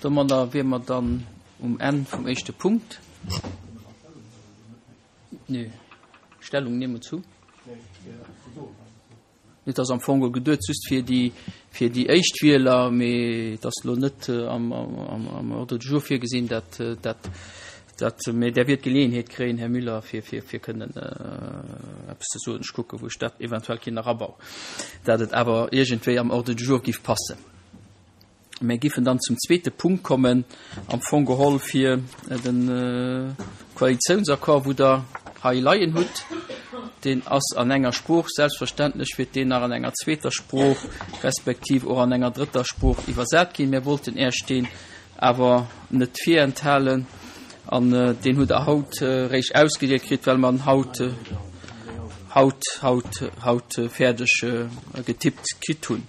Domadder wier mer dann um Enn vum éischte Punkt. Nee, Stellung nehmen zu. Et ass am Fong geduet just fir déi, fir déi éischt Wieler, mee et ass elo net am, am, am Ordre du jour virgesinn, dat, dat, dat, mee Der wiert d'Geleeënheet kréien, Här Müller, fir, fir, fir kënnen eppes ze soen. Ech kucken, wou ech dat eventuell kinn erabauen, dat et awer iergendwéi am Ordre du jour giff passen. Mir giffen dann zum zweete Punkt kommen, am Fong geholl fir de Koalitiounsaccord, wou Der hei leien hutt. Deen ass an enger Sprooch, selbstverständlech wäert deen nach an enger zweeter Sprooch respektiv och an enger drëtter Sprooch iwwersat ginn. Mir wollten Äech deen awer net virenthalen an deen hutt Der haut eréischt ausgedeelt kritt, well mer en haut, haut, haut, haut fäerdeg getippt kritt hunn.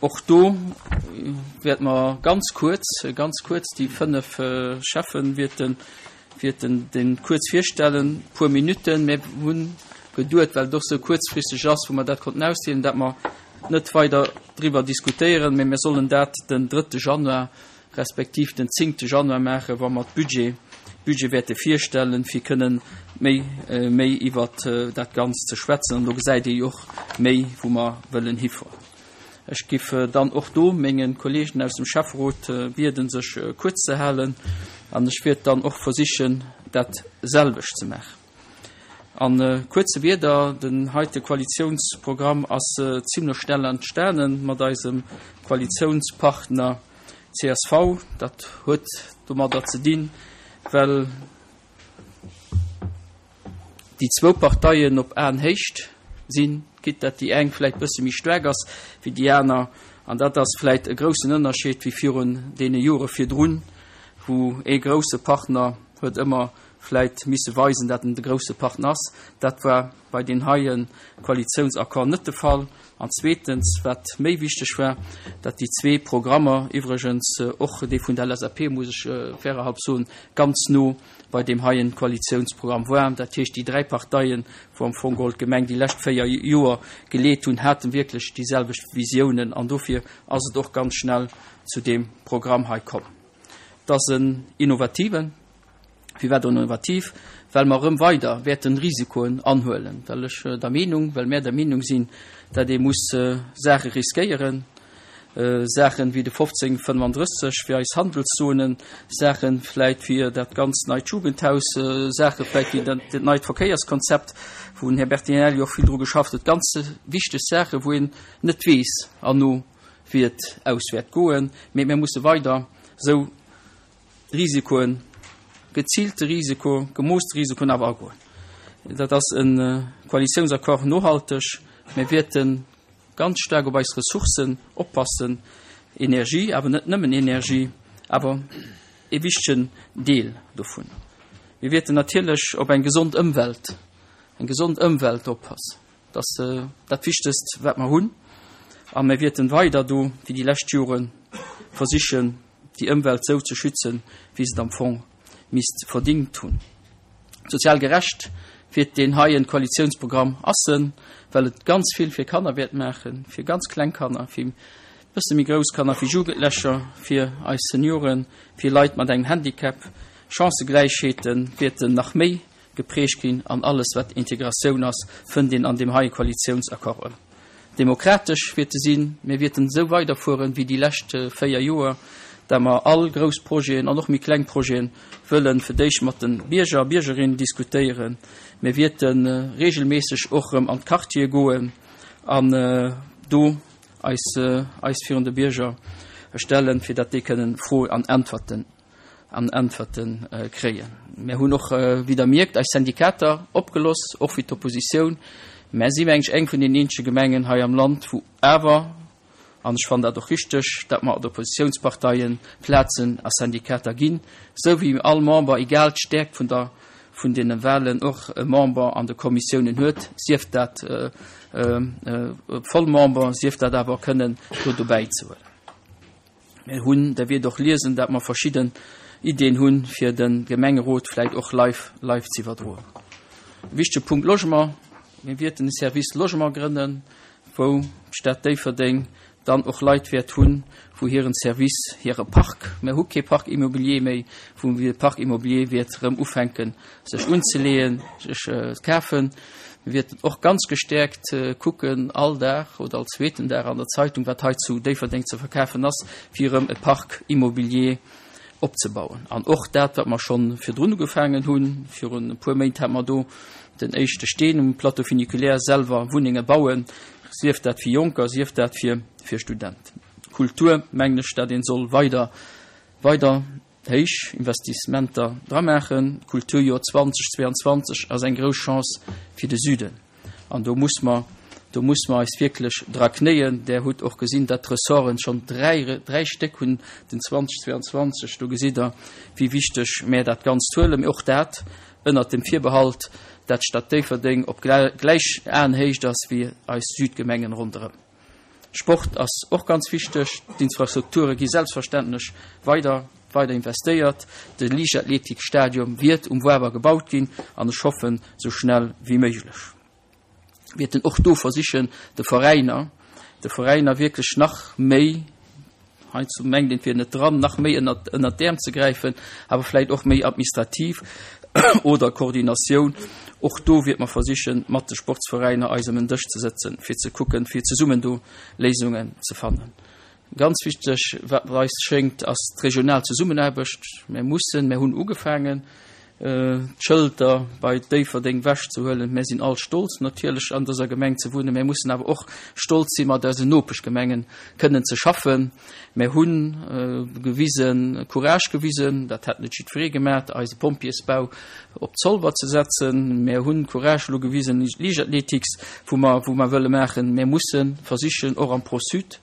Och do wäerte mer ganz kuerz, ganz kuerz déi 5 Cheffen wäerten, wäerten dee kuerz virstellen, e puer Minutten. Mir hunn geduet, well et och sou kuerzfristeg ass, wou mer dat konnten ausdeelen, dat mer net weider driwwer diskutéieren, mä mir sollen dat den drëtte Januar respektiv den zéngte Januar maachen, wa mer d'Budget, Budget wäerte virstellen, fir kënnen méi, méi iwwert dat Ganzt ze schwätzen. An do gesäit ee jo och méi, wou mer wëllen hifueren. Ech giff dann och do menge Kollegen aus dem Schäfferot bieden, sech kuerz ze halen, an ech wäert dann och versichen, dat selwecht ze maachen. A kuerze Wierder, Den heite Koalitiounsprogramm ass zimlech schnell entstane mat eisem Koalitiounspartner csv. Dat huet domadder ze dinn, well déi zwou Parteien op Aenhéicht sinn, quitte dat déi eng vläicht bësse méi staark ass wéi déi aner. An dat ass vläicht e groussen Ënnerscheed wéi virun deene Jore virdrun, wou ee grousse Partner huet ëmmer vläit misse weisen, dat en de grousse Partner ass. Dat war bei deem heie Koalitiounsaccord net de Fall. An zweetens, wat méi wichteg war, dat déi zwee Programmer, iwwregens och dee vun der LSAP, muss ech fairerhalb soen, ganz no bei deem heien Koalitiounsprogramm waren. Dat heescht, déi dräi Parteien, wou am Fong geholl d'Gemeng déi lescht véier Joer geleet hunn, hate wierklech déi selwecht Visiounen. An dofir ass et och ganz schnell zu deem Programm hei komm. Et ass en innovativen. Firwat innovativ? Well mer erëm weider wäerten Risikoen anhuelen, well ech der Meenung, well mär der Meenung sinn, dat ee muss Saache riskéieren, Saachen wéi de 1535 fir eis Handelszonen, Saachen vläit fir dat ganz neit Jugendhaus, Saache vläit wéi dat neit Verkéierskonzept, wou den Här Bertinelli och vill dru geschafft huet, ganz wichteg Saachen, wou een net weess herno wéi et aus wäert goen, mee mir musse weider esou Risikoen, geziilte Risiko, gemooste Risikoen awer agoen. Dat ass e Koalitiounsaccord nohalteg. Mir wäerte ganz staark op eis Ressourcen oppassen, Energie, awer net nëmmen Energie, awer e wichtegen Deel dovun. Mir wäerten natierlech op eng gesond Ëmwelt, eng gesond Ëmwelt oppassen. Dat ass dat Wichtegst, wat mer hunn. A mir wäerten weider do, wéi déi lescht Joren, versichen, déi Ëmwelt sou ze schützen, wéi se et am Fong misst verdingt hunn. Sozial gerecht wiert deen heien Koalitiounsprogramm ass en, well et ganz vill fir Kanner wäert maachen, fir ganz kleng Kanner, fir bësse méi grouss Kanner, fir Jugendlecher, fir eis Senioren, fir Leit mat engem Handicap. Chancëgläichheete wäerten nach méi geprägt ginn an alles wat Integratioun ass, fënnt een an deem heie Koalitiounsaccord erëm. Demokratesch wäerte sinn. Mir wäerten esou weiderfueren wéi déi lescht 4 Joer, dat mer all grouss Projeten an och méi kleng Projeten wëllen fir d'éischt mat de Bierger a Biergerinnen diskutéieren. Mir wäerte regelméisseg och erëm an d'Quartiere goen an do eis eis virun de Bierger stellen, fir dat déi kënnen Froen an Äntwerten an Äntwerte kréien. Mär hunn och, wéi Der mierkt, eis Syndikater opgeloss, och wéi d'Oppositioun. Mär si mengen ech eng vun den eenzege Gemengen hei am Land, wou awer, an ech fannen dat och richteg, dat mer d'Oppositiounsparteie Plazen a Syndikater ginn, esou wéi all Member, egal d'Stäerkt vun der, vun deene Wahlen, och e Member an de Kommissiounen huet, sief dat Vollmember, sief dat awer kënnen do dobäi ze huelen. Mir hunn, Der wiert och liesen, dat mer verschidden Ideen hunn, fir de Gemengerot vläicht och live, live ze iwwerdroen. E wichtege Punkt Logement. Mir wierten e Service Logement grënnen, wou d'Stad Déifferdeng dann och Leit wäert hunn, wou hiren Service, hire Parc, mir hu kee Parc immobilier méi, wou de Parc immobilier wäert erëm ufänken sech unzeleeën, sech ze kafen. Mir wäerten och ganz gestäerkt kucken, all Dag oder all zweeten Dag an der Zeitung, wat hei zu Déifferdeng ze verkafen ass, fir erëm e Parc immobilier opzebauen. An och dat, wat mer scho virdrun ugefaangen hunn, virun e puer Méint hate mer do den éischte Steen um Plateau funiculaire, selwer Wunnenge bauen, sief dat fir Jonker, sief dat fir Studenten. Kultur, mengen ech, dat een soll weider, weider héich Investissementer dra maachen. D'Kulturjoer 2022 ass eng grouss Chance fir de Süden an do muss mer, do muss mer eis wierklech dra knéien. Der hutt och gesinn, datt d'Ressorten schonn dräi, dräi Stéck hunn den 2022. Do gesitt Der, wéi wichteg mär dat Ganzt huelen. Mee och dat ënnert dem Virbehalt, dat d'Stad Déifferdeng op gläich Aenhéicht ass wéi eis Südgemengen ronderëm. Sport ass och ganz wichteg. D'Infrastrukture gi selbstverständlech weider weider investéiert. De Liichtathletikstadion wiert um Wawer gebaut ginn an ech hoffen, sou schnell wéi méiglech. Wäerten och do versichen, de Veräiner, de Veräiner wierklech nach méi, Heiansdo mengt een, et wier net dran, nach méi ënnert, ënnert d'Äerm ze gräifen, awer vläicht och méi administrativ oder Koordinatioun. Och do wiert mer versichen, mat de Sportsveräiner eis ëm en Dësch ze sëtzen, fir ze kucken, fir zesummen do Léisungen ze fannen. Ganz wichteg, wat eis schéngt, ass d'regional Zesummenaarbecht. Mir mussen, mir hunn ugefaangen, d'Schëlter bei Déifferdeng wechzehuelen. Mir sinn all stolz natierlech an dëser Gemeng ze wunnen. Mir mussen awer och stolz si mat eisen Nopeschgemengen kënnen ze schaffen. Mir hu gewisen, Courage gewisen, dat hätt net jiddweree gemaat, eise Pompjeesbau op Zolwer ze setzen. Mir hunn Courage elo gewisen, Liichtathletics, wou mer, wou mer wëlle maachen. Mir musse versichen och am Pro-Sud,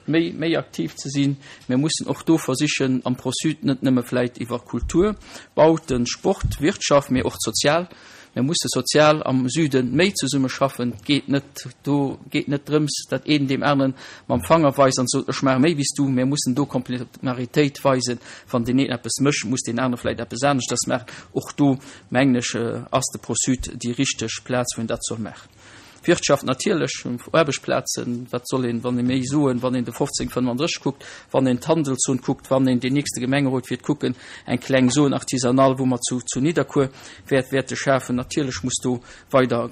méi, méi aktiv ze sinn. Mir mussen och do versichen, am ProSud net nëmme vläit iwwer Kultur, Bauten, Sport, Wirtschaft, mee och sozial, mir musse sozial am Süde méi zesummeschaffen. Et geet net, do geet net drëms, datt een deem aneren mam Fanger weist an sot, ech maache méi wéi s du. Mir mussen do Komplementaritéit weisen. Wann deen een eppes mécht, muss deen anere vläit eppes aneschters maachen. Och do, mengen ech, ass de ProSud déi richteg Plaz, wou een dat soll maachen. Wirtschaft natierlech, Aarbechtsplazen, wat soll een, wann ee méi soen, wann een de 1535 kuckt, wann een d'Handelszon kuckt, wann een deen nächste Gemengerot wäert kucken, eng kleng Zone artisanale, wou mer zu zu Nidderkuer wäert wäerte schafen. Natierlech muss do weider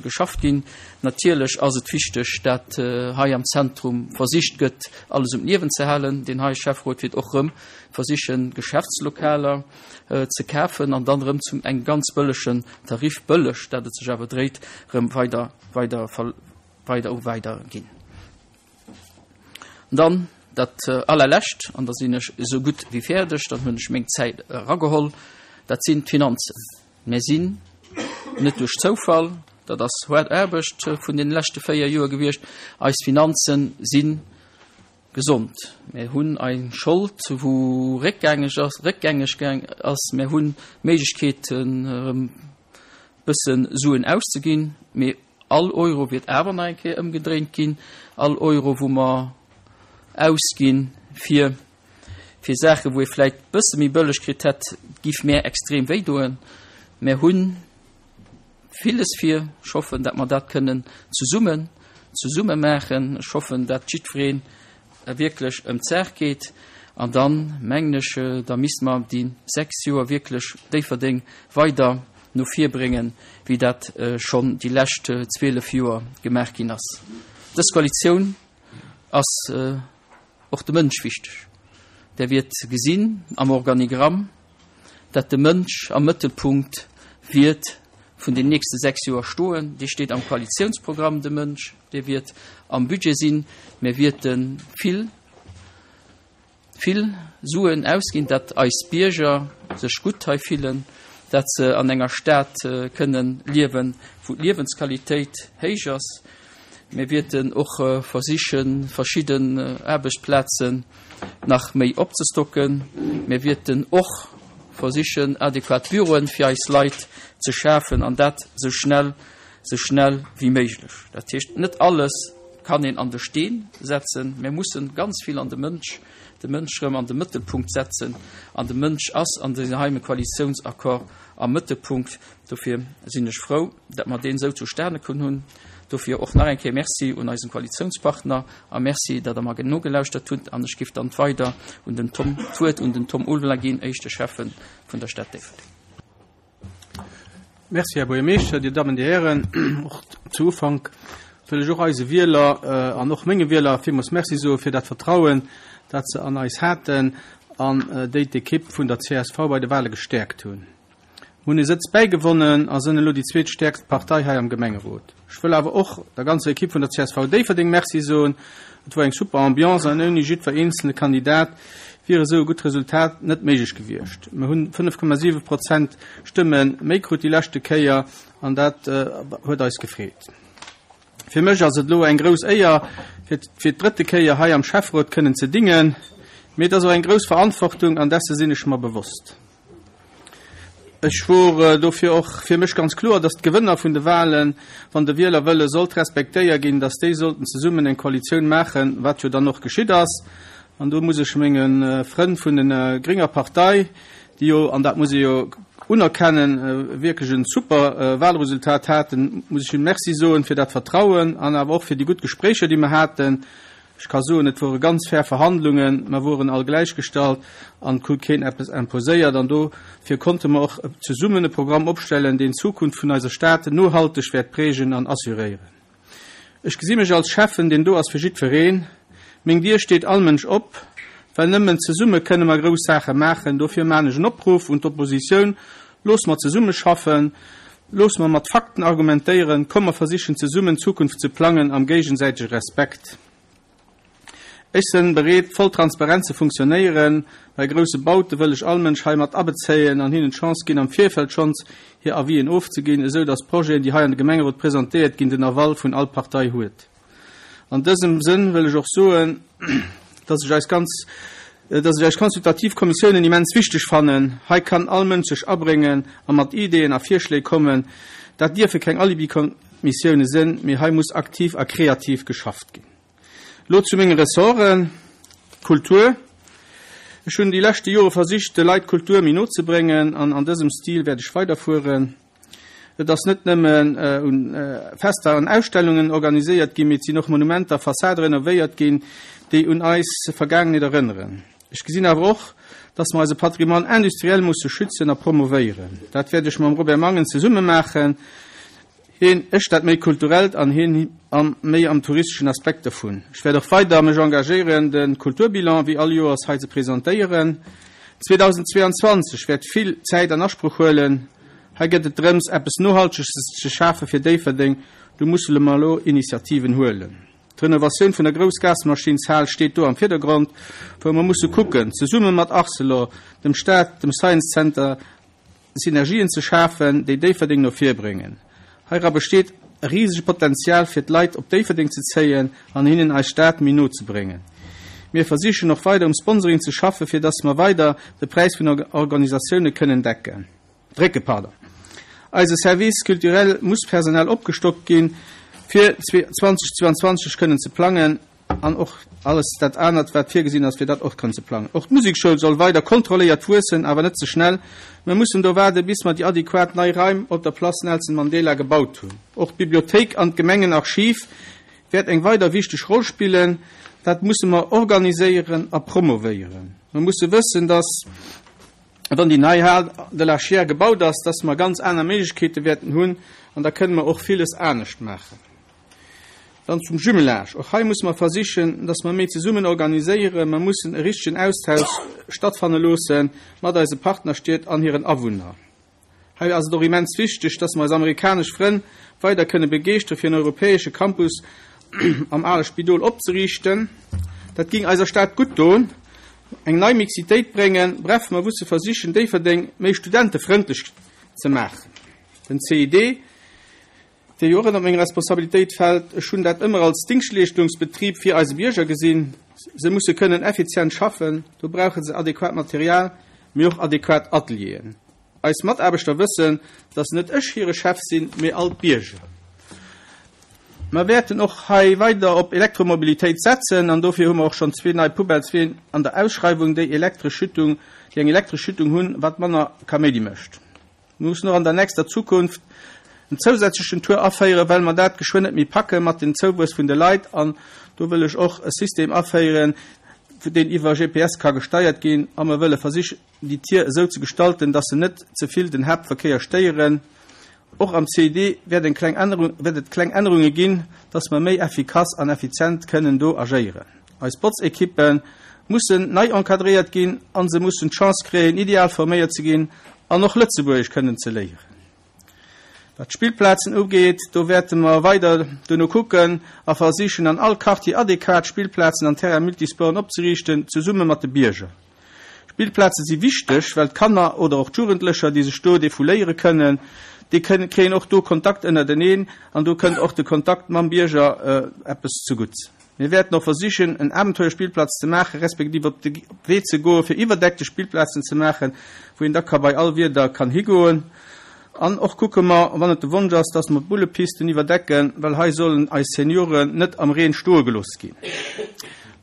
geschafft ginn. Natierlech ass et wichteg, dat hei am Zentrum versicht gëtt, alles um Liewen ze halen. Deen hei Schäfferot wäert och erëm versichen, Geschäftslokaler, ze kafen an dann erëm zum engem ganz bëllegen Tarif, bëlleg, dat et sech awer dréit, erëm weider, weider, weider u weider ginn. An dann dat allerlescht, an da sinn ech esou gutt wéi fäerdeg, dann hunn ech meng Zäit erageholl, dat sinn d'Finanzen. Mir sinn net duerch Zoufall, dat ass haart Aarbecht vun deene leschte 4 Joer gewiescht, eis Finanzen sinn Gesond. Mir hunn eng Schold, wou réckgängeg ass, réckgängeg ass. Mir hunn d'Méiglechkeeten, erëm bësse Suen auszeginn, mee all Euro wäert awer nach eng Kéier ëmgedréint ginn. All Euro, wou mer ausginn, fir, fir Saachen, wou ee vläicht bësse méi bëlleg kritt hätt, giff mär extrem wéidoen. Mir hunn Villes vir. Ech hoffen, dat mer dat kënnen zesummen, zesumme maachen. Ech hoffen, dat jiddweree wierklech ëm d'Saach geet. An dann, mengen ech, da misste mer déi 6 Joer wierklech Déifferdeng weider no vir bréngen, wéi dat schonn déi lescht 12 Joer gemaach ginn ass. Dës Koalitioun ass och de Mënsch wichteg. Der wiert gesinn am Organigramm, dat de Mënsch am Mëttelpunkt wiert vun den nächste 6 Joer stoen. Dee steet am Koalitiounsprogramm, de Mënsch, dee wiert am Budget sinn. Mir wierte vill, vill Suen ausginn, dat eis Bierger sech gutt hei fillen, dat se an enger Stad kënnen liewen, wou d'Liewensqualitéit héich ass. Mir wierten och versichen, verschidden Aarbechtsplazen nach méi opzestocken. Mir wierten och versichen, adequat Büroen fir eis Leit ze schafen, an dat esou schnell, esou schnell wéi méiglech. Dat heescht, net alles kann een an de Steen setzen. Mir mussen ganz vill an de Mënsch, de Mënsch erëm an de Mëttelpunkt setzen. An de Mënsch ass an deem heime Koalitiounsaccord am Mëttelpunkt. Dofir sinn ech frou, datt mer deen esou zustane komm hunn. Dofir och nach eng Kéier Merci un eisen Koalitiounspartner a Merci, datt Der mer nogelauschtert hutt. An ech géif dann weider un den Tom, d'Wuert un den Tom Ulveler ginn, éischte Schäffe vun der Stad Déifferdeng. Merci, Här Buergermeeschter, Dir Dammen, Dir Hären. Och zu Ufank wëll ech och eise Wieler an och menge Wieler villmools Merci soe fir dat Vertrauen, dat se an eis haten an déi d'Ekipp vun der csv bei de Wale gestäerkt hunn. Mir hunn ee Sëtz bäigewonnen a sënn elo déi zweetstäerkst Partei hei am Gemengerot. Ech wëll awer och der ganzer Ekipp vun der csv Déifferdeng Merci soen. Et wor eng super Ambiance an ouni jiddwer eenzelne Kandidat wier esou e gutt Resultat net méiglech gewiescht. Mir hunn 5,7 Prozent Stëmme méi krut déi leschte Kéier an dat huet eis gefreet. Fir mech ass et elo eng grouss Éier, fir fir d'drëtte Kéier hei am Schäfferot kënnen ze dingen, mee et ass och eng grouss Verantwortung an desse sinn ech mer bewosst. Ech wor dofir och fir mech ganz kloer, datt d'Gewënner vun de Wahlen, wann de Wielerwëlle sollt respektéier ginn, datt déi sollten zesummen eng Koalitioun maachen, wat jo dann och geschitt ass. An do muss ech menge Frënn vun der grénger Partei, déi jo, an dat muss ee jo unerkennen, wierklech e super Wahlresultat haten, muss ech hinne Merci soen fir dat Vertrauen an awer och fir déi gutt Gespréicher, déi mer haten. Ech ka soen, et wore ganz fair Verhandlungen, mer woren all gläichgestallt an et krut keen eppes imposéiert. An dofir konnte mer och zesummen e Programm opstellen, deen d'Zukunft vun eiser Stad nohalteg wäert prägen an assuréieren. Ech gesi mech als Schäffen, deen do ass fir jiddwereen. Meng Dier steet all Mënsch op, well nëmmen zesumme kënne mer grouss Saache maachen. Dofir maan ech en Opruff un d'Oppositioun, Looss mer zesummeschaffen, looss mer mat Fakten argumentéieren, komm mer versichen zesummen d'Zukunft ze plangen am géigesäitege Respekt. Ech sënn bereet voll transparent ze funktionéieren. Bei grousse Baute wëll ech all Mënsch hei mat abezéien an hinnen d'Chance ginn am Virfeld schonns hir Avisen ofzeginn, esou datt d'Projeten déi hei an de Gemengerot presentéiert ginn den Aval vun all Partei huet. An dësem Sënn wëll ech och soen, dass ech eis ganz, dass ech eis consultativ Kommissiounen immens wichteg fannen. Hei kann all Mënsch sech abréngen a mat Ideeën a Virschléi kommen. Dat dierfe keng Alibi-Kommissioune sinn, mee hei muss aktiv a kreativ geschafft ginn. Elo zu menge Ressorten. Kultur. Ech hunn déi leschte Jore versicht, de Leit d'Kultur méi no ze bréngen an an dësem Stil wäert ech weiderfueren. Et ass net nëmmen un Fester an Ausstellungen organiséiert ginn, mee et sinn och Monumenter a Fassade renovéiert ginn, déi un eis Vergaangenheet erënneren. Ech gesinn awer och, dass mer eise Patrimoine industriel musse schützen a promovéieren. Dat wäert ech mam Robert Mangen zesumme maachen, hien, ech dat méi kulturellt an hien am méi am touristeschen Aspekt dovun. Ech wäert och weider mech engagéieren, de Kulturbilan wéi all Joers hei ze presentéieren. 2022 wäert vill Zäit an Asproch huelen. Hei gëtt et drëms, eppes Nohalteges ze schafe fir Déifferdeng. Do mussele mer elo Initiativen huelen. D'Renovatioun vun der Groussgasmaschinshal steet do am Virdergrond, wou mer musse kucken, zesumme mat Arcelor, dem Staat, dem Science Center, Synergien ze schafen, déi Déifferdeng no vir bréngen. Heira besteet e risege Potenzial, fir d'Leit op Déifferdeng ze zéien an hinnen eis Stad méi no ze bréngen. Mir versichen och weider um Sponsoring ze schaffen, fir dass mer weider de Präis vun Organisatioune kënnen decken. Drécke, pardon. Eise Service culturel muss personell opgestockt ginn, fir 2022 kënnen ze plangen an och alles dat anert, wat virgesinn ass, fir dat och kënnen ze plangen. Och d'Musekschoul soll weider kontrolléiert wuessen, awer net ze schnell. Mir mussen do waarde bis mer déi adequat nei Raim op der Place Nelson Mandela gebaut hunn. Och d'Bibliothéik an d'Gemengenarchiv wäert eng weider wichteg Roll spillen. Dat musse mer organiséieren a promovéieren. Mer musse wëssen, dass. Wann déi nei Hal de la Chiers gebaut ass, dass mer ganz aner Méiglechkeete wäerten hunn an da kënne mer och villes anescht maachen. Dann zum Jumelage. Och hei musse mer versichen, dass mer méi zesummen organiséieren. Mer mussen e richtegen Austausch stattfanne loosse mat eise Partnerstied an hiren Awunner. Hei ass et och immens wichteg, dass mer eis amerikanesch Frënn weider kënne begeeschtere fir en europäesche Campus am ale Spidol opzeriichten. Dat géing eiser Stad gutt doen, eng nei Mixitéit bréngen. Bref, mer musse versichen, Déifferdeng méi studentefrëndlech ze maachen. Den CID, dee jo och ënnert meng Responsabilitéit fält, ech hunn dat ëmmer als Dingschtleeschtungsbetrib fir eise Bierger gesinn. Se musse kënnen effizient schaffen, do brauche se adequat Material, mee och adequat Atelieren. Eis Mataarbechter wëssen, dass net ech hire Chef sinn, mee all d'Bierger. Mer wäerten och hei weider op Elektromobilitéit setzen an dofir hu mer och schonn zwee nei Poubellesween an der Ausschreiwung, déi elektresch Schüttung, déi eng elektresch Schüttung hunn, wat manner Kaméidi mécht. Mir mussen och an der nächster Zukunft. en zousätzlechen Tour aféieren, well mer dat geschwënn net méi packe mat dem Zouwuess vun de Leit. An do wëll ech och e System aféieren, deen iwwer GPS ka gesteiert ginn. A mer wëlle versichen, déi Tier esou ze gestalten, dass se net ze vill den Haaptverkéier stéieren. Och am CID wäert eng kleng Ännerung, wäert et kleng Ännerunge ginn, dass mer méi effikass an effizient kënnen do agéieren. Eis Botzekippe mussen nei encadréiert ginn a se mussen d'Chance kréien, ideal forméiert ze ginn an och Lëtzebuergesch kënnen ze léieren. Wat d'Spillplazen ugeet, do wäerte mer weider dono kucken a versichen, an all Quartier adequat Spillplazen an Terrains multisporten opzeriichten, zesumme mat de Bierger. Spillplaze si wichteg, well d'Kanner oder och d'Jugendlecher, déi sech do defouléiere kënnen, déi kréien och do Kontakt ënnerteneen an do kënnt och de Kontakt mam Bierger eppes zegutts. Mir wäerten och versichen, en Abenteuerspillplatz ze maachen, respektiv op de Wee ze goen, fir iwwerdeckte Spillplazen ze maachen, wou een da ka bei all Wieder kann higoen. An och kucke mer, wann et de Wonsch ass, dass mer d'Bullepisten iwwerdecken, well hei sollen eis Senioren net am Reen stoe gelooss ginn.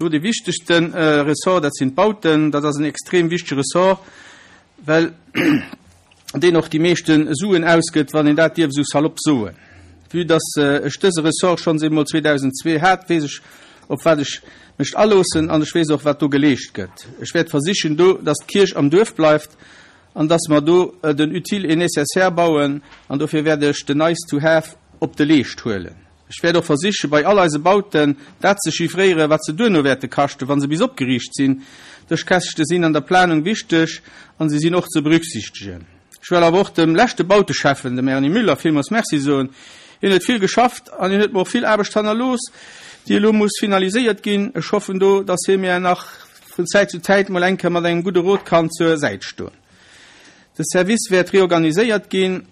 Elo dee wichtegste Ressort, dat sinn d'Bauten. Dat ass en extrem wichtege Ressort, well deen och déi meeschte Suen ausgëtt, wann een dat dierf esou salopp soen. Vue dass ech dëse Ressort schonns eemol 2002 hat, weess ech, op wat ech mech aloossen an ech weess och, wat do geleescht gëtt. Ech wäert versichen do, dass d'Kierch am Duerf bleift an dass mer do den Utile et Nécessaire bauen an dofir wäert ech den Nice to have op de Leescht huelen. Ech wäert och versichen, bei all eise Bauten dat ze chiffréieren, wat se duerno wäerte kaschten, wa se bis opgeriicht sinn. Dës Käschte sinn an der Planung wichteg an se sinn och ze berücksichtegen. Ech well awer och dem leschte Bauteschäffen, dem Erny Müller, villmools Merci soen. Hien huet vill geschafft an hien huet mer och vill Aarbecht hannerlooss, déi elo muss finaliséiert ginn. Ech hoffen do, dass hie mir nach vun Zäit zu Zäit mol eng Kéier mat engem gudde Rot kann zur Säit stoen. De Service wäert reorganiséiert ginn.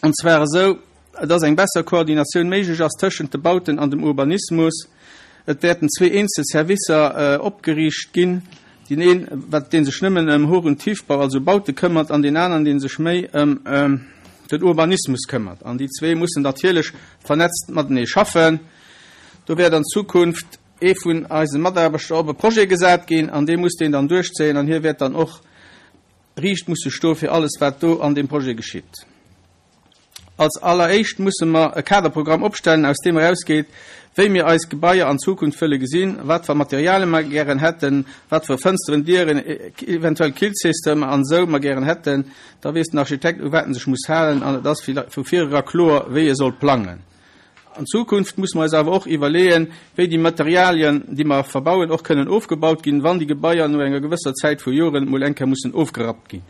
An zwar esou, dass eng besser Koordinatioun méiglech ass tëschent de Bauten an dem Urbanismus. Et wäerten zwee eenzel Servicer opgeriicht ginn, deen een, wat, dee sech nëmmen ëm Hoch und Tiefbau, also Baute këmmert, an deen aneren, dee sech méi ëm den Urbanismus këmmert. An déi zwee mussen natierlech vernetzt matenee schaffen. Do wäert an Zukunft ee vun eise Mataarbechter op e Projet gesat ginn an dee muss deen dann duerchzéien an hie wäert dann och riicht musse stoe fir alles, wat do an deem Projet geschitt. Als alleréischt musse mer e Kaderprogramm opstellen, aus deem erausgeet, wéi mir eis Gebaier an Zukunft wëlle gesinn, wat fir Materialien mer gären hätten, wat fir Fënsteren, Dieren, eventuell Killsystemer an esou mer gären hätten. Da weess den Architekt, u wat en sech muss halen an et ass vu virera kloer, wéi e soll plangen. An Zukunft musse mer eis awer och iwwerleeën, wéi déi Materialien, déi mer verbauen, och kënnen ofgebaut ginn, wann déi Gebaier no enger gewësser Zäit vu Joren mol eng Kéier mussen ofgerappt ginn.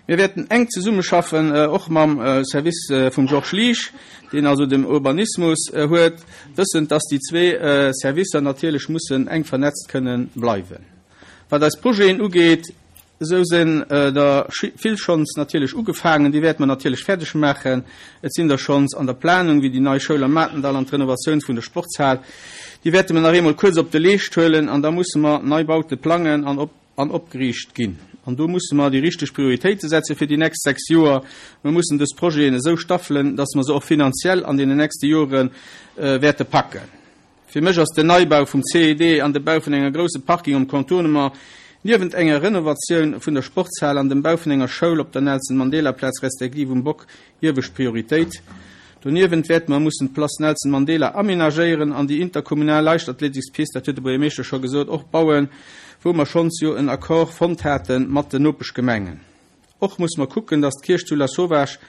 Mir wäerten enk zesummeschaffen, och mam Service vum Georges Liesch, deen also den Urbanismus huet, wëssend, dass déi zwee Servicer natierlech mussen enk vernetzt kënnen bleiwen. Wat eis Projeten ugeet, Esou sinn der vill schonns natierlech ugefaangen, déi wäerte mer natierlech fäerdeg maachen. Et sinn der schonns an der Planung, wéi déi nei Schoul am Matendall an d'Renovatioun vun der Sportshal. Déi wäerte mer nach eemol kuerz op de Leescht huelen an da musse mer nei Baute plangen an op an opgeriicht ginn. An do musse mer déi richteg Prioritéite setze fir déi nächst 6 Joer. Mer mussen dës Projeten esou staffelen, dass mer se och finanziell an deenen nächste Jore wäerte packen. Fir mech ass den Neibau vum CED an de Bau vun enger grousse Parking um Contournement, niewent enger Renovatioun vun der Sportshal an dem Bau vun enger Schoul op der Nelson-Mandela-Plaz respektiv um Bock, iewescht Prioritéit. Doniewent wäerte mer mussen d'Place Nelson Mandela amenagéieren an déi interkommunal Leichtathletikspist, dat huet de Buergermeeschter scho gesot, och bauen, wou mer schonns jo en Accord fonnt hate mat den Nopeschgemengen. Och musse mer kucken, dass d'Kierch zu Lasauvage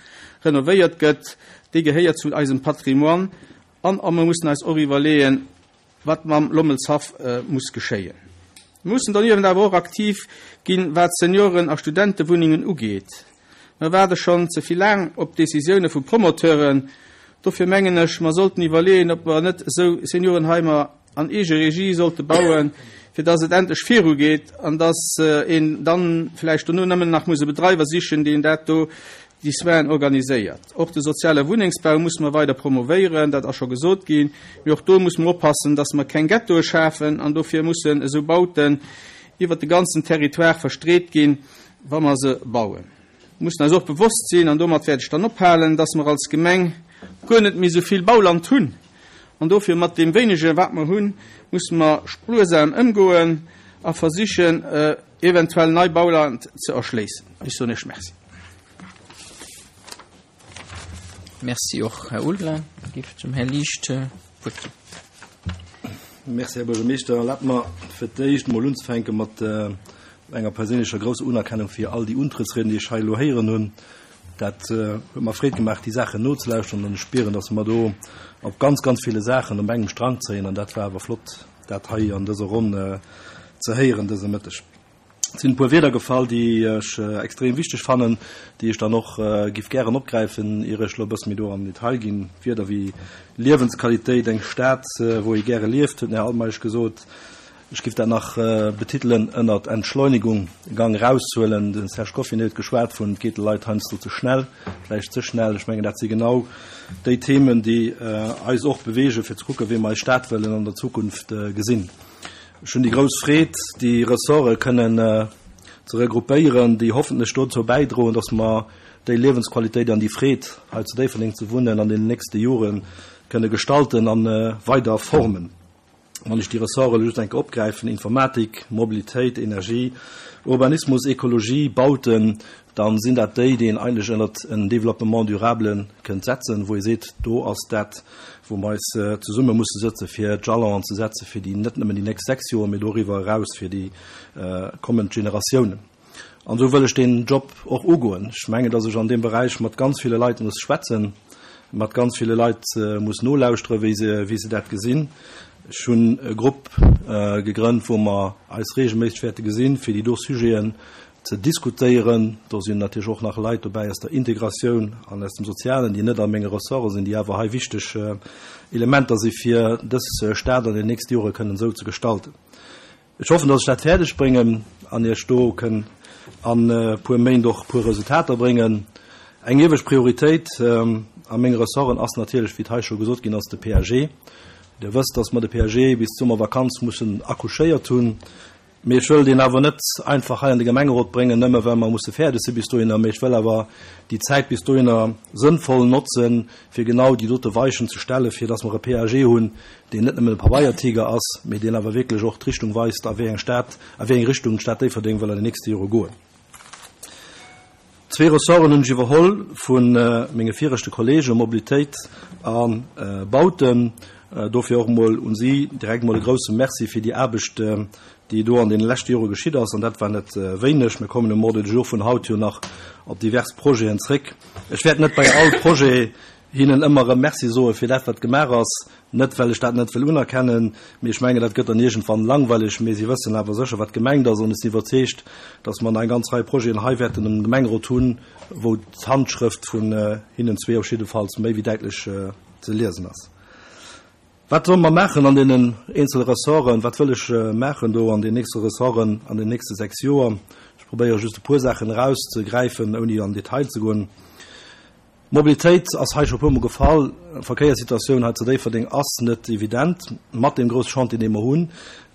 renovéiert gëtt, déi gehéiert zu eisem Patrimoine. An a mer mussen eis och iwwerleeën, wat mam Lommelshaff muss geschéien. Mer mussen doniewent awer och aktiv ginn, wat Senioren a Studentewunnengen ugeet. Mer waarde schonn ze vill laang op Décisioune vu Promoteuren. Dofir mengen ech, mer sollten iwwerleeën, ob mer net esou Seniorenheimer an eege Regie sollte bauen, fir dass et endlech virugeet an dass een dann vläicht dono nëmmen nach muss e Bedreiwer sichen, deen dat do, déi Soinen organiséiert. Och de soziale Wunnengsbau musse mer weider promovéieren, dat ass scho gesot ginn. Mee och do musse mer oppassen, dass mer keng Ghettoe schafen an dofir mussen esou Bauten iwwert de ganzen Territoire verstreet ginn, wa mer se bauen. Mer mussen eis och bewosst sinn, an domat wäert ech dann ophalen, dass mer als Gemeng guer net méi esou vill Bauland hunn. An dofir mat deem wéinege wat mer hunn, musse mer spuersam ëmgoen a versichen, eventuell nei Bauland ze erschléissen. Ech soen Iech Merci. Merci och, Här Ulveling. Da géif ech dem Här Liesch d'Wuert ginn. Merci, Här Buergermeeschter. Erlaabt mer fir d'éischt emol unzefänke mat enger perséinlecher grousser Unerkennung fir all déi Untrëttsrieden, déi ech hei elo héieren hunn. Dat huet mer Freed gemaach, déi Saachen nozelauschteren an ech spieren, dass mer do op ganz, ganz ville Saachen op engem Strang zéien an dat war awer flott, dat hei an dëser Ronn ze héieren dëse Mëtteg. Et sinn e puer Wierder gefall, déi ech extrem wichteg fannen, déi ech dann och giff gären opgräifen, ier ech elo e bësse méi do an den Detail ginn. Wierder wéi Liewensqualitéit, eng Stad, wou ee gäre lieft, huet den Här Altmeisch gesot. Ech giff dat nach betitelen ënnert Entschleunigung, e Gang eraushuelen. De Serge Goffinet huet geschwat vun, et geet de Leit heiansdo ze schnell, vläicht ze schnell. Ech mengen, dat si genau déi Themen, déi eis och beweegen, fir ze kucken, wéi mer eis Stad wëllen an der Zukunft gesinn. Ech hunn déi grouss Freed, déi Ressorte kënnen ze regroupéieren, déi hoffentlech dozou bäidroen, dass mer déi Liewensqualitéit an déi Freed, hei zu Déifferdeng ze wunnen, an deenen nächste Jore kënne gestalten a weider formen. Wann ech déi Ressorte elo just eng Kéier opgräifen, Informatik, Mobilitéit, Energie, Urbanismus, Ekologie, Bauten, da sinn dat déi, déi een eigentlech ënnert en Développement durable kënnt setzen, wou ee seet, do ass dat, wou mer eis zesumme musse sëtze fir d'Jalonen ze setze fir déi net nëmmen déi nächst 6 Joer, mee doriwwer eraus fir déi kommend Generatiounen. An esou wëll ech deen Job och ugoen. Ech mengen, datt ech an deem Beräich mat ganz ville Leit muss schwätzen, mat ganz ville Leit muss nolauschteren, wéi se, wéi se dat gesinn. Ech hunn e Grupp gegrënnt, wou mer eis regelméisseg wäerte gesinn, fir déi do Sujeten ze diskutéieren. Do sinn natierlech och nach Leit dobäi aus der Integratioun an aus dem Sozialen, déi net a menge Ressorte sinn, déi awer hei wichteg Elementer si fir dës Stad an den nächste Jore kënnen esou ze gestalten. Ech hoffen, datt ech dat fäerdeg bréngen an Iech do kënn an e puer Méint och e puer Resultater bréngen. Eng iewescht Prioritéit a menge Ressorten ass natierlech, wéi et hei scho gesot ginn ass, de PAG. Dir wësst, datt mer de PAG bis d'Summervakanz mussen accouchéiert hunn. Mee ech wëll deen awer net einfach hei an de Gemengerot bréngen, nëmme well mer musse fäerdeg si bis dohinner, mee ech wëll awer déi Zäit bis dohinner sënnvoll notzen, fir genau déi dote Weichen ze stellen, fir dass mer e PAG hunn, deen net nëmmen e Pabeiertiger ass, mee deen awer wierklech och d'Richtung weist, a wéi eng Stad, a wéi eng Richtung d'Stad Déifferdeng wëll an den nächste Jore goen. Zwee Ressorten hunn ech iwwerholl vu menge viregte Kollegen, Mobilitéit a Bauten. Dofir och emol un si direkt emol e grouse Merci fir déi Aarbecht, déi do an deene leschte Jore geschitt ass. An dat war net wéineg. Mir kommen um Ordre du jour vun haut jo nach op divers Projeten zréck. Ech wäert net bei all Projet hinnen ëmmer erëm Merci soe fir dat, wat gemaach ass, net well ech dat net wëll unerkennen, mee ech mengen, dat gëtt dann iergendwann langweileg, mee si wëssen awer sécher, wat gemengt ass an ech sinn iwwerzeegt, datt mer nach eng ganz Rei Projeten hei wäerten am Gemengerot hunn, wou d'Handschrëft vun hinnen zwee op jiddefalls méi wéi däitlech ze liesen ass. Wat solle mer maachen an deenen eenzele Ressorten? Wat wëll ech maachen do an den nächste Ressorten an den nächste 6 Joer? Ech probéiere just e puer Saachen erauszegräifen, ouni an Detail ze goen. Mobilitéit ass hei scho e puermol gefall. D'Verkéierssituatioun hei zu Déifferdeng ass net evident mat deem grousse Chantier, dee mer hunn.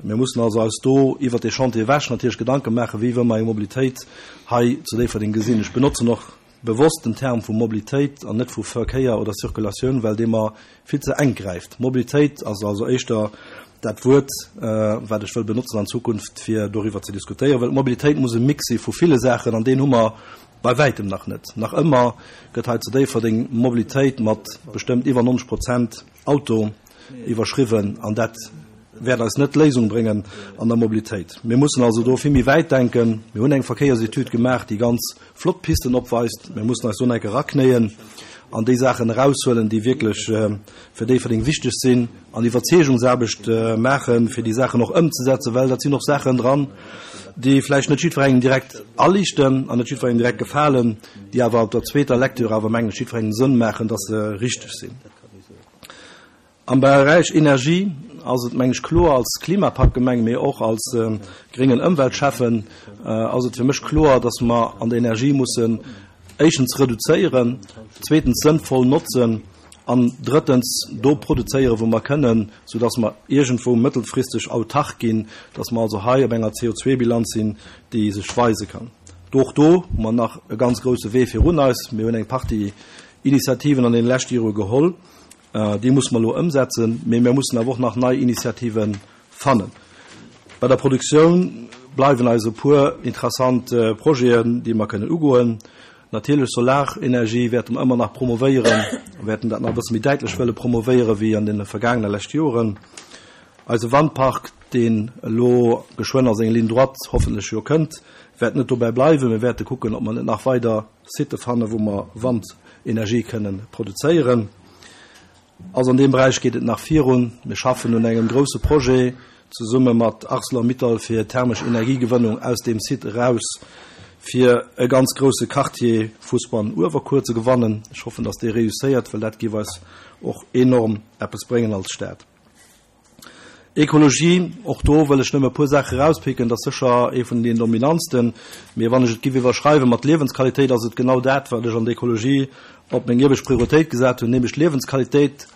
Mir mussen also eis do iwwert dee Chantier ewech natierlech Gedanke maachen, wéi wëlle mer eng Mobilitéit hei zu Déifferdeng gesinn. Ech benotzen och bewosst den Term vu Mobilitéit an net vu Verkéier oder Circulatioun, well dee mer vill ze enk gräift. Mobilitéit ass also éischter dat Wuert, wat ech wëll benotzen an Zukunft, fir doriwwer ze diskutéieren, well d'Mobilitéit muss e Mix si vu ville Saachen an deen hu mer Bei wäitem nach net. Nach ëmmer gëtt hei zu Déifferdeng Mobilitéit mat bestëmmt iwwer 90 Prozent Auto iwwerschriwwen an dat wäert eis net d'Léisung bréngen an der Mobilitéit. Mir mussen also do vill méi wäit denken. Mir hunn eng Verkéiersetüd gemaach, déi ganz flott Pisten opweist. Mir mussen eis do nach eng Kéier eraknéien an déi Saachen eraushuelen, déi wierklech fir Déifferdeng wichteg sinn an Iwwerzeegungsaarbecht maachen, fir déi Saachen och ëmzesetzen, well dat sinn och Saachen dran, déi vläicht net jiddwerengem direkt aliichten an net jiddwerengem direkt gefalen, déi awer op der zweeter Lecture awer, mengen ech, jiddwerengem Sënn maachen, dass se richteg sinn. Am Beräich Energie ass et, mengen ech, kloer, als Klimapaktgemeng, mee och als gréngen Ëmweltschäffen ass et fir mech kloer, dass mer an der Energie mussen éischtens reduzéieren, zweetens sënnvoll notzen an drëttens do produzéieren, wou mer kënnen, soudass mer iergendwou mëttelfristeg autark ginn, dass mer also hei op enger CO2-Bilanz sinn, déi sech weise kann. Och do hu mer nach e ganz grouse Wee virun eis. Mir hunn eng Partie Initiativen an deene leschte Jore geholl. Déi musse mer elo ëmsetzen, mee mir mussen awer och nach nei Initiative fannen. Bei der Produktioun bleiwen eis e puer interessant Projeten, déi mer kënnen ugoen. Natierlech Solarenergie wäerte mer ëmmer nach promovéieren, wäerten dat nach e bësse méi däitlech wëlle promovéiere wéi an deene vergaangene leschte Joren. Eise Wandpark, deen elo geschwënn a seng Ligne droite hoffentlech jo kënnt, wäert net dobäi bleiwen. Mir wäerte kucken, ob mer net nach weider Sitë fannen, wou mer Wandenergie kënnen produzéieren. Also an deem Beräich geet et nach virun. Mir schaffen un engem grouse Projet zesumme mat Arcelor-Mittal fir thermesch Energiegewënnung aus deem Site eraus, fir e ganz grouse Quartier Fousbann-Uewerkuer ze gewannen. Ech hoffen, dass dee réusséiert, well dat géif eis och enorm eppes bréngen als Stad. Ekologie, och do wëll ech nëmme e puer Saache erauspicken, dat ass sécher ee vun deenen dominantsten, mee wann ech et giff iwwerschreiwe mat Liewensqualitéit, ass et genau dat, wat ech an der Ekologie op meng iewescht Prioritéit gesat hunn, nämlech d'Liewensqualitéit,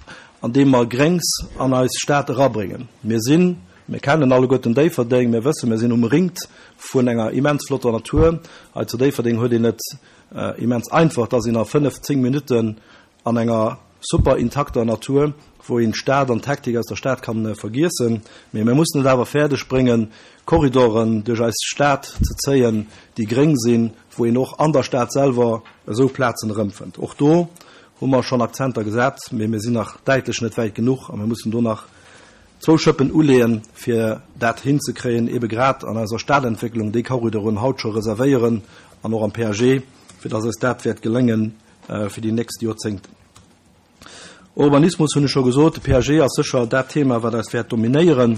andeem mer Gréngs an eis Stad erabréngen. Mir sinn, mir kennen alleguerten Déifferdeng, mir wëssen, mir sinn umringt vun enger immens flotter Natur. Hei zu Déifferdeng huet een et immens einfach, dass een a fënnef, zéng Minutten An enger super intakter Natur, wou een d'Stad an d'Hektik aus der Stad kann vergiessen. Mee mir mussen et awer fäerdeg bréngen, Korridoren duerch eis Stad ze zéien, déi gréng sinn, wou een och an der Stad selwer esou Plazen erëmfënnt. Och do hu mer schonn Akzenter gesat, mee mir sinn nach däitlech net wäit genuch a mir mussen do nach zwou Schëppen uleeën, fir dat hinzekréien, ebe grad an eiser Stadentwécklung déi Korridoren haut scho reservéieren an och am PAG, fir dass eis dat wäert geléngen, fir déi nächst Joerzéngten. Urbanismus hunn ech scho gesot, de PAG ass sécher dat Thema, wat eis wäert dominéieren.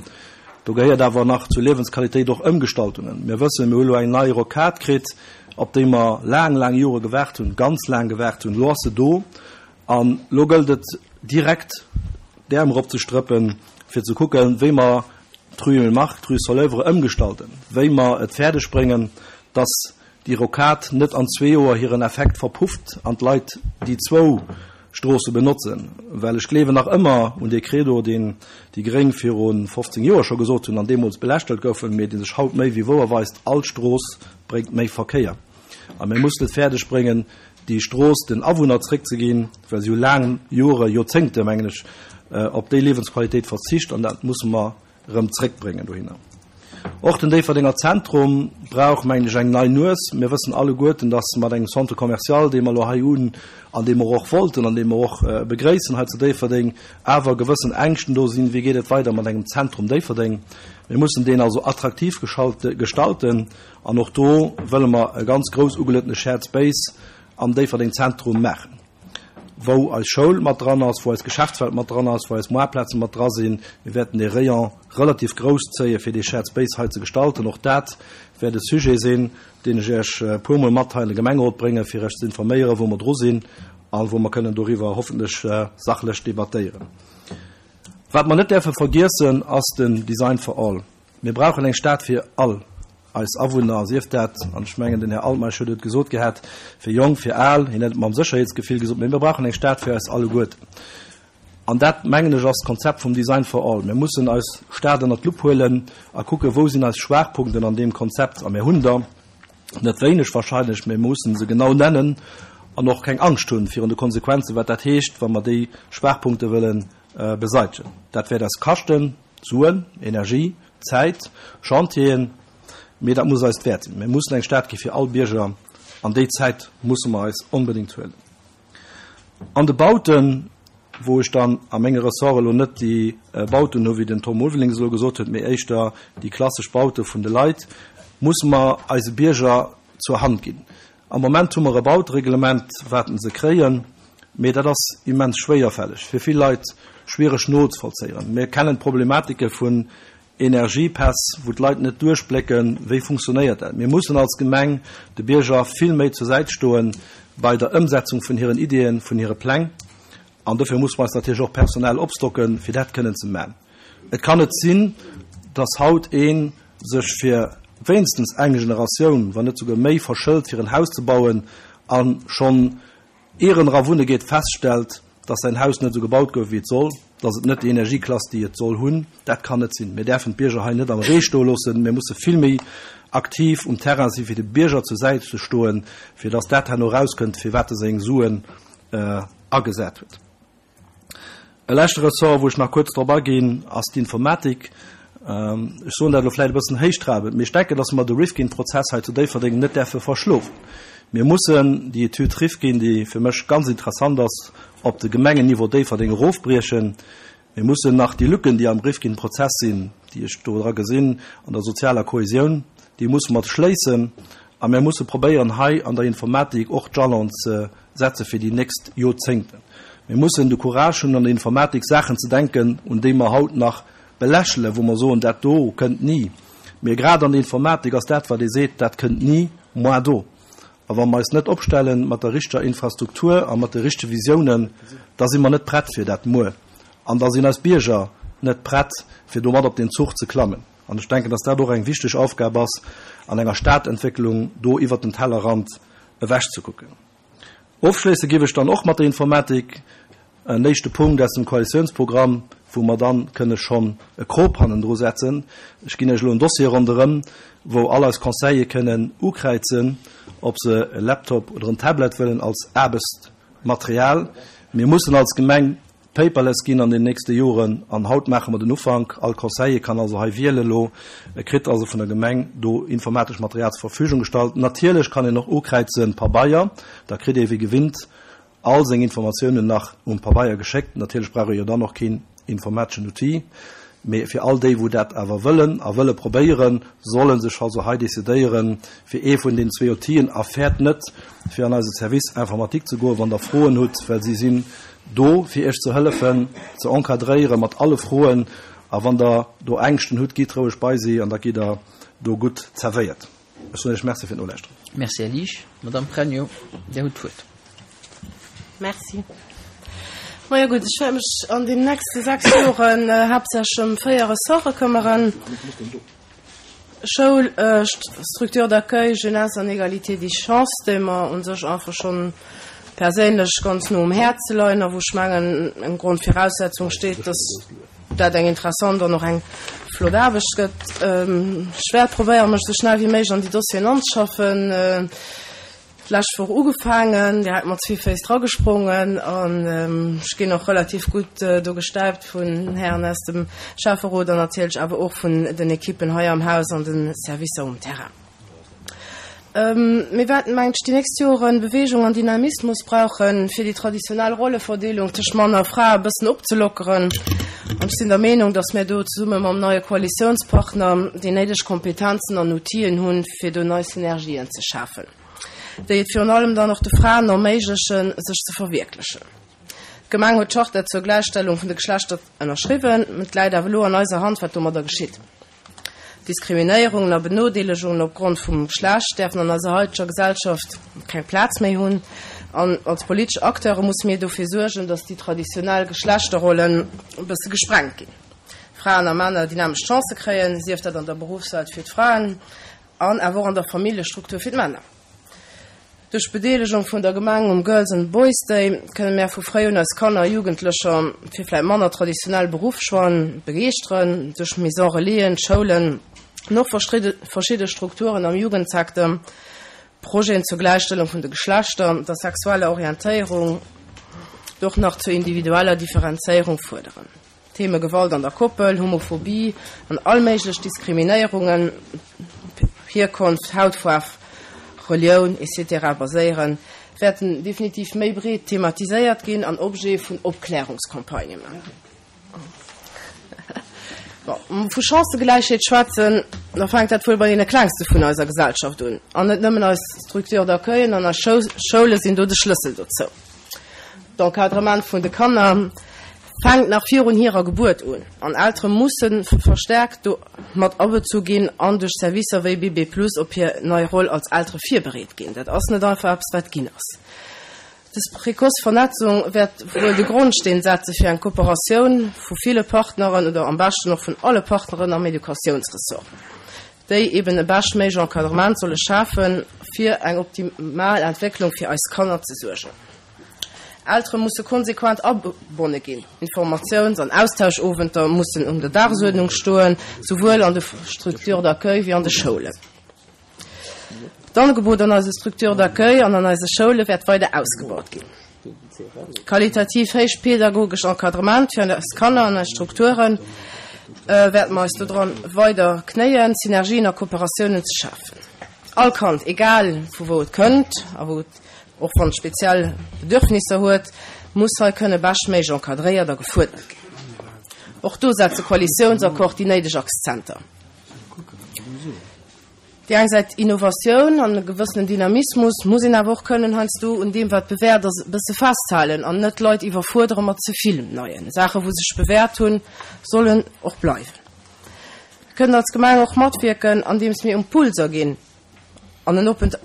Do gehéiert awer nach zur Liewensqualitéit och Ëmgestaltungen. Mir wëssen, mir hu lo eng nei Rocade kritt, op déi mer laang, laang Jore gewaart hunn, ganz laang gewaart hunn. Elo ass se do an elo gëllt et direkt d'Äerm eropzestrëppen, fir ze kucken, wéi mer d'Rue Emile Mark, d'Rue Soleuvre ëmgestalten, wéi mer et fäerdegbréngen, dass déi Rocade net an zwee Joer hiren Effekt verpufft an d'Leit déi zwou Stroosse benotzen, well ech gleewen nach ëmmer un dee Credo, deen déi Gréng viru 15 Joer scho gesot hunn an deemools belächtelt goufen, mee dee sech haut méi wéi wouer weist, All Strooss bréngt méi Verkéier. A mir mussen et fäerdeg bréngen, déi Strooss den Awunner zréckzeginn, well si hu laang Jore, Joerzéngte mengen ech, op déi Liewensqualitéit verzicht an dat musse mer erëm zréckbréngen dohinner. Och den Déifferdenger Zentrum brauch, mengen ech, eng nei Nues. Mir wëssen alleguerten, dass mat engem Centre commercial, dee mer elo hei hunn an dee mer och wollten an dee mer och begréissen hei zu Déifferdeng, awer gewëssen Ängschten do sinn, Wéi geet et weider mat engem Zentrum Déifferdeng? Mir mussen deen also attraktiv gestalten an och do wëlle mer e ganz grouss ugeluetene Shared Space am Déifferdeng Zentrum maachen. wou eis Schoul mat dran ass, wou eis Geschäftswelt mat dran ass, wou eis Moartplaze mat dra sinn. Mir wäerten dee Rayon relativ grouss zéien, fir dee Shared Space hei ze gestalten. Och dat wäert e Sujet sinn, deen ech Iech e puermol mat hei an de Gemengerot bréngen, fir Iech ze informéieren, wou mer dru sinn a wou mer kënnen doriwwer hoffentlech sachlech debattéieren. Wat mer net däerfe vergiessen, ass den Design for all. Mir brauchen eng Stad fir all eis Awunner, sief dat, an ech mengen, den Här Altmeisch huet et gesot gehat, fir Jonk, fir Al, hien huet et mam Sécherheetsgefill gesot, mee mir brauchen eng Stad fir eis alleguerten. An dat, mengen ech, ass d'Konzept vum Design for all. Mir mussen eis Stad ënnert d'Lupp huelen a kucken, wou sinn eis Schwaachpunkten an deem Konzept. A mir hunn der net wéineg wahrscheinlech, mee mir mussen se genau nennen an och keng Angscht hunn virun de Konsequenzen, wat dat heescht, wa mer déi Schwaachpunkte wëlle beseitegen. Dat wäert eis kaschten. Suen, Energie, Zäit, Chantieren, mee dat muss eis d'Wäert sinn. Mir mussen eng Stad gi fir all Bierger an déi Zäit musse mer eis onbedéngt huelen. An de Bauten, wou ech dann a menge Ressorte elo net déi Bauten hu wéi den Tom Ulveling se elo gesot huet, mee éischter déi klassesch Baute vun de Leit, musse mer eise Bierger zur Hand ginn. Am Moment hu mer e Bautereglement, wat se kréien, mee dat ass immens schwéierfälleg, fir vill Leit schwiereg nozevollzéieren. Mir kennen d'Problematike vun Energiepäss, wou d'Leit net duerchblécken, wéi funktionéiert dat. Mir mussen als Gemeng de Bierger vill méi zur Säit stoe bei der Ëmsetzung vun hiren Ideeën, vun hire Pläng. An dofir musse mer eis natierlech och personell opstocken, fir dat kënnen ze man. Et kann net sinn, dass haut ee sech fir wéinstens eng Generatioun, wann net souguer méi, verschëlt, fir en Haus ze bauen a schonn ier en era wunne geet, feststellt, dass säin Haus net esou gebaut gouf, wéi et soll, dass et net déi Energieklass, déi et soll hunn. Dat kann net sinn. Mir däerfen d'Bierger hei net am Ree stoe loossen. Mir musse vill méi aktiv um Terrain sinn, fir de Bierger zur Säit ze stoen, fir dass dat herno erauskënnt, firwat e seng Suen agesat huet. E leschte Ressort, wou ech nach kuerz drop aginn, ass d'Informatik. Ech soen dat elo vläicht e bëssen héichtrabend, mee ech denken, dass mer de Rifkin-Prozess hei zu Déifferdeng net däerfe verschlofen. Mir mussen déi Etüd Rifkin, déi fir mech ganz interessant ass, op de Gemengenniveau Déifferdeng erofbriechen. Mir mussen nach déi Lücken, déi am Rifkin-Prozess sinn, déi ech do dra gesinn an der sozialer Kohesioun, déi musse mer schléissen. A mir musse probéieren, hei an der Informatik och d'Jalonen ze setze fir déi nächst Jorzéngten. Mir mussen de Courage hunn, an der Informatik Saachen ze denken, un déi mer haut nach belächelen, wou mer soen, dat do kënnt ni. Mee grad an der Informatik ass dat, wat ee seet, dat kënnt ni, moi do. A wa mer eis net opstelle mat der richteger Infrastruktur a mat de richtege Visiounen, da si mer net prett fir dat Muer. An da sinn eis Bierger net prett, fir do mat op deen Zuch ze klammen. An ech denken, dass dat och eng wichteg Aufgab ass an enger Stadentwécklung, do iwwert den Tellerrand ewechzekucken. Ofschléisse géif ech dann och mat der Informatik. En éischte Punkt aus dem Koalitiounsprogramm, wou mer dann kënne schonn e Krop hannendru setzen. Ech ginn Iech elo en Dossier ronderëm, wou all eis Conseiller kënnen ukräizen, ob se e Laptop oder en Tablet wëllen als Aarbechtsmaterial. Mir mussen als Gemeng paperless ginn an den nächste Joren an haut maache mer den Ufank. All Conseiller kann also hei wielen elo. E kritt also vun der Gemeng do informatesch Material zur Verfügung gestallt. Natierlech kann een och ukräizen Pabeier, da kritt ee wéi gewinnt all seng Informatiounen nach um Pabeier geschéckt. Natierlech brauch ee jo dann och keen informateschen Outil, mee fir all déi wou dat awer wëllen a wëlle probéieren, solle sech also hei decidéieren fir ee vun den zwee Outile a fäert net fir an eise Service informatique ze goen, wann der Froen hutt, well si sinn do fir iech ze hëllefen, ze encadréiere mat alle Froen a wann der do Ängschten hutt, gitt roueg bei si an da gitt der do gutt zerwéiert. Ech soen Iech Merci fir d'Nolauschteren. Merci, Här Liesch. Madamm Pregno, Dir hutt d'Wuert. Merci. Majo gutt, ech wäert mech an den nächste 6 Joren haaptsächlech ëm 4 Ressorte këmmeren, Schoul, Structure d'accueil, Jeunesse an Égalité des chances, déi mer u sech einfach schonn perséinlech ganz no um Häerze leien a wou ech mengen eng Grondviraussetzung steet, dass dat eng interessant an och eng flott Aarbecht gëtt. Ech wäert probéieren, mech esou schnell wéi méiglech an déi Dossieren anzeschaffen. D'lescht Woch ugefaangen, direkt mat zwee Féiss dragesprongen an ech ginn och relativ gutt do gestäipt vun Hären aus dem Schäfferot an natierlech awer och vun den Ekippen hei am Haus an de Servicer um Terrain. Mir wäerten, mengen ech, déi nächst Joren Bewegung an Dynamismus brauchen, fir déi traditionell Rolleverdeelung tëscht Mann a Fra e bëssen opzelockeren. An ech sinn der Meenung, datt mir do zesumme mam neie Koalitiounspartner déi néideg Kompetenzen an Outile hunn, fir do nei Synergien ze schafen, déi et virun allem dann och de Fraen erméiglechen, sech ze verwierklechen. D'Gemeng huet d'Charta zur Gläichstellung vun de Geschlechter ënnerschriwwen. Et läit awer elo an eiser Hand, wat domadder geschitt. Diskriminéierungen a Benodeelegungen opgrond vum Geschlecht däerfen an eiser haiteger Gesellschaft keng Plaz méi hunn. An als politesch Acteure musse mir dofir suergen, datt déi traditionell Geschlechterrollen e bësse gesprengt ginn. Fraen a Männer déi nämmlecht Chancë kréien, sief dat an der Beruffswelt fir d'Fraen an awer och an der Familljestruktur fir d'Männer. Duerch d'Bedeelegung vun der Gemeng um Girls and Boys Day kënne mär vu fréi un eis Kanner a Jugendlecher fir vläit manner traditionell Beruffschoixen begeeschteren. Duerch Maison Relaisen, Schoulen an och verschidde Strukturen am Jugendsecteur, Projeten zur Gläichstellung vun de Geschlechter, der sexueller Orientéierung, och nach zur individueller Differenzéierung fuerderen. D'Theme Gewalt an der Koppel, Homophobie an all méiglech Diskriminéierungen op Hierkonft, Hautfaarf, Relioun, etc. Baséieren, wäerten definitiv méi breet thematiséiert ginn an Objet vun Opklärungscampagnë. Wa mer vu Chancëgläichheet schwätzen, da fänkt dat wuel bei deene Klengste vun eiser Gesellschaft un. An net nëmmen eis Structures d'accueillen an eis Schoule sinn do de Schlëssel dozou. D'Encadrement vun de Kanner fänkt nach virun hirer Gebuert un an Eltere musse verstärkt do mat abezu ginn an duerch Servicer wéi Bébé Plus op hir nei Roll als Eltere virbereet ginn. Dat ass net einfach eppes, wat ginn ass. Dës précoce Vernetzung wäert wuel de Grondsteen setze fir eng Kooperatioun vu ville Partneren oder am beschten och vun alle Partneren am Educatiounsressort. déi eben e beschtméiglech Encadrement solle schafen, fir eng optimal Entwécklung fir eis Kanner ze suergen. Eltere musse konsequent agebonne ginn, Informatiouns an Austauschowenter mussen un der Dagesuerdnung stoen, souwuel an de Structures d'accueil wéi an de Schoulen. D'Angebot an eise Structures d'accueil an an eise Schoule wäert weider ausgebaut ginn. Qualitativ héich pedagogesch Encadrement fir eis Kanner an eis Strukture wäerte mer eis dodran weider knéien, Synergien a Kooperatiounen ze schafen. All Kand, egal vu wou et kënnt a wou et, och wann et speziell Bedürfnisser huet, muss hei kënne beschtméiglech encadréiert a gefuerdert ginn. Och do setzt de Koalitiounsaccord déi néideg Akzenter. Déi eng Säit Innovatioun an e gewëssenen Dynamismus, muss een awer och kënnen heiansdo un deem, wat bewäert ass, e bësse festhalen an net d'Leit iwwerfuerdere mat ze vill Neien. Saache wou sech bewäert hunn, sollen och bleiwen. Mir kënnen als Gemeng och matwierken, andeems mir Impulser ginn an en oppent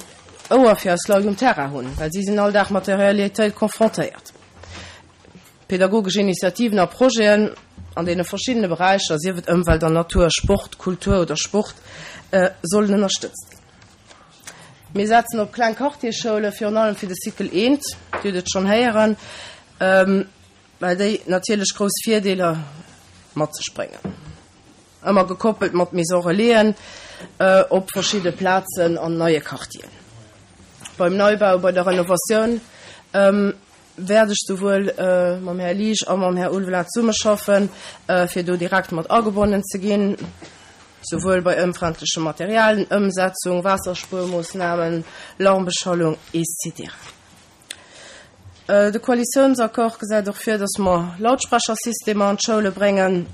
Ouer fir eis Leit um Terrain hunn, well si sinn all Dag mat der Realitéit confrontéiert. Pädagogesch Initiativen a Projeten an deene verschiddene Beräicher, sief et Ëmwelt an Natur, Sport, Kultur oder Sport, sollen ënnerstëtzt ginn. Mir setzen op kleng Quartiersschoule, virun allem fir de Cycle I, Dir hutt et schonn héieren, well déi natierlech grouss Virdeeler mat sech bréngen. Ëmmer gekoppelt mat Maison Relaisen op verschidde Plazen an neie Quartieren. Beim Neibau, bei der Renovatioun wäert ech souwuel mam Här Liesch a mam Här Ulveling zesummeschaffen, fir do direkt mat agebonnen ze ginn, souwuel bei ëmfrendleche Materialien, Ëmsetzung, Waasserspuermoossnamen, Lärmbeschallung, etc. De Koalitiounsaccord gesäit och vir, dass mer Lautsprechersystemer an d'Schoule bréngen,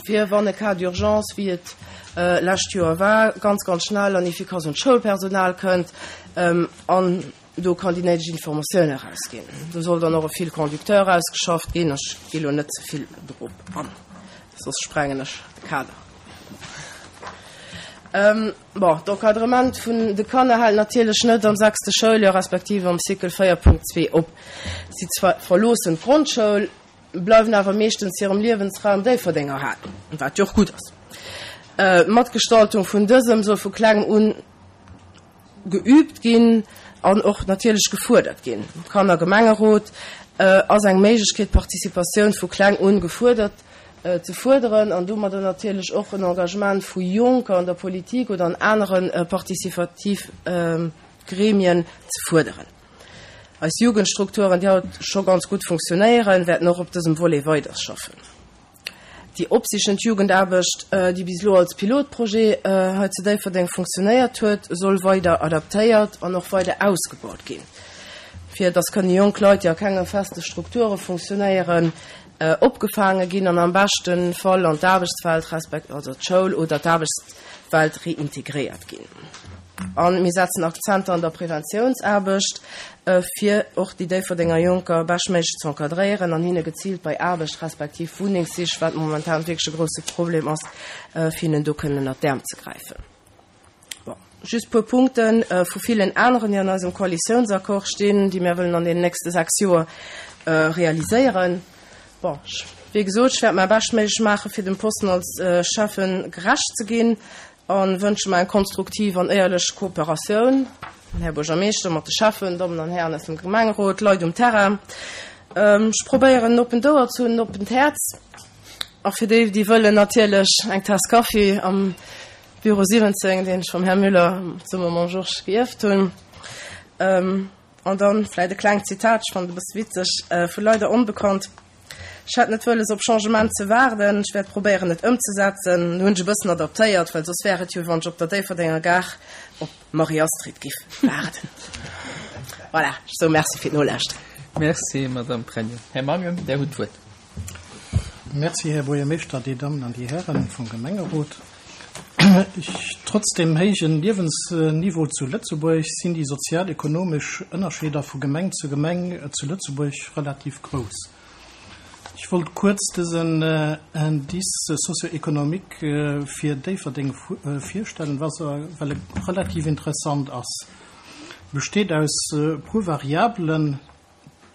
fir wann e Cas d'urgence, wéi et lescht Joer war, ganz, ganz schnell an efficace un d'Schoulpersonal kënnt an do kann déi néideg Informatioun erausginn. Do soll dann och e Fil conducteur ausgeschafft ginn. Ech gi lo net ze vill drop an, soss sprengen ech de Kader. Bon, d'Encadrement vun de Kanner hält natierlech net am sechste Schouljoer respektiv am Cycle 4.2 op. Si verloossen d'Grondschoul, bleiwen awer meeschtens hirem Liewensraum Déifferdeng erhalen, wat jo och gutt ass. D'Matgestaltung vun dësem soll vu klengem un geüübt ginn an och natierlech gefuerdert ginn. Kannergemengerot ass eng Méiglechkeet, d'Participatioun vu kleng un gefuerdert ze fuerderen an domadder natierlech och en Engagement vu Jonker an der Politik oder an anere participativ Gremien ze fuerderen. Eis Jugendstrukturen, déi haut scho ganz gutt funktionéieren, wäerten och op dësem Volet weiderschaffen. Déi opsichend Jugendaarbecht, déi bis elo als Pilotprojet hei zu Déifferdeng funktionéiert huet, soll weider adaptéiert an och weider ausgebaut ginn, fir dass kënne jonk Leit, déi a kenge feste Strukture funktionéieren, opgefaange ginn an am beschte Fall an d'Aarbechtswelt resp. Also d'Schoul oder d'Aarbechtswelt reintegréiert ginn. A mir setzen Akzenter an der Preventiounsaarbecht, fir och déi Déifferdenger Jonker beschtméiglech ze encadréieren an hinne geziilt bei Aarbecht respektiv Wunnengssich, wat momentan wierklech e grousse Problem ass, fir hinnen do kënnen ënnert d'Äerm ze gräifen. Bon, just puer Punkte vu villen aneren, déi an eisem Koalitiounsaccord stinn, déi mir wëllen an deenen nächste 6 Joer realiséieren. Bon, wéi gesot, ech wäert mäi Beschtméiglech maachen, fir dem Posten als Schäffen gerecht ze ginn. A wënsche mer eng konstruktiv an éierlech Kooperatioun, Här Buergermeeschter, mat de Schäffen, Dammen an Hären aus dem Gemengerot, Leit um Terrain. Ech probéieren en oppent Ouer ze hunn, en oppent Häerz. A fir déi, déi wëllen, natierlech eng Taass Kaffi am Büro 17, deen ech vum Här Müller zesumme mam Georges geierft hunn. An dann vläit e klengt Zitat, ech fannen et e bësse witzeg, vu leider onbekannt, Ech hätt net wëlles op Changement ze waarden, ech wäert probéieren et ëmzesetzen. Hunn ech e bëssen adaptéiert, well soss wär et jo wéi wann ech op der Déifferdenger Gare op d'Marie-Astrid giff waarden. Voilà, ech soe Merci fir d'Nolauschteren. Merci, Madamm Pregno. Här Mangen, Där hutt d'Wuert. Merci, Här Buergermeeschter, Dir Dammen an Dir Hären vum Gemengerot. Trotz dem héijen Liewensniveau zu Lëtzebuerg sinn déi sozial-ekonomesch Ënnerscheeder vu Gemeng zu Gemeng zu Lëtzebuerg relativ grouss. Ech wollt kuerz dësen Indice socio-économique fir Déifferdeng virstellen, well e relativ interessant ass. E besteet aus e puer Variabelen.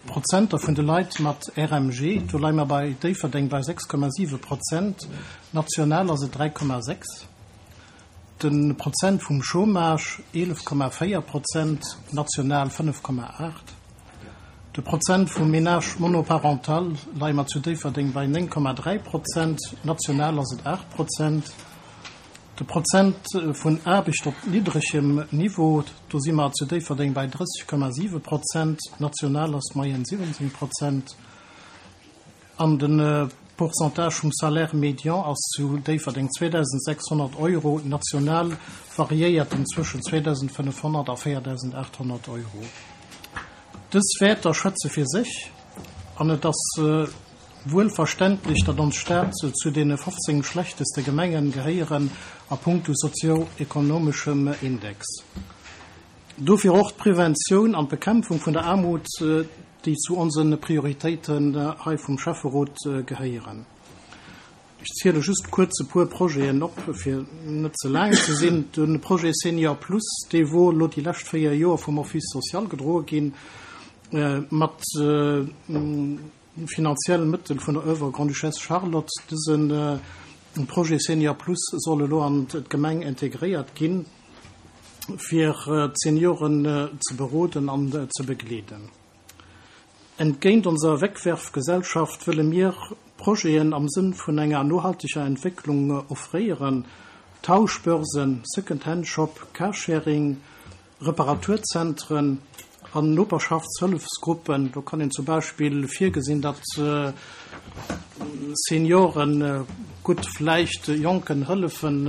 Prozenter vun de Leit mat RMG, do leie mer bei Déifferdeng bei 6,7 Prozent, national ass et 3,6. De Prozent vum Chômage, 11,4 Prozent, national 5,8. De Prozent vum Ménage monoparental leie mer zu Déifferdeng bei 9,3 Prozent, national ass et 8 Prozent. De Prozent vun Aarbecht op niddregem Niveau, do si mer zu Déifferdeng bei 30,7 Prozent, national ass d'Moyenne 17 Prozent. An de. Pourcentage vum Salaire médian ass zu Déifferdeng 2.600 Euro, national variéiert en zwëschen 2.500 a 4.800 Euro. Dës Wäerter schwätze fir sech an et ass wuel verständlech, datt ons Stad zu deene 15 schlechteste Gemengen gehéieren a punkto sozio-ekonomeschem Index. Dofir och d'Preventioun an d'Bekämpfung vun der Aarmut, déi zu onse Prioritéiten hei vum Schäfferot gehéieren. Ech ziele just kuerz e puer Projeten op, fir net ze laang ze sinn. De Projet Senior Plus, dee wor elo déi lescht 4 Joer vum Office social gedroe ginn, mat finanzielle Mëttel vun der Oeuvre Grande-Duchesse Charlotte. Dëse Projet Senior Plus soll elo an d'Gemeng integréiert ginn, fir d'Senioren ze beroden an ze begleeden. Entgéint onser Wegwerfgesellschaft wëlle mir Projeten am Sënn vun enger nohalteger Entwécklung offréieren, Tauschbörsen, Second-Hand-Shop, Carsharing, Reparaturzentren an Noperschaftshëllefsgruppen. Do kann een zum Beispill virgesinn, datt Senioren gutt vläicht Jonken hëllefen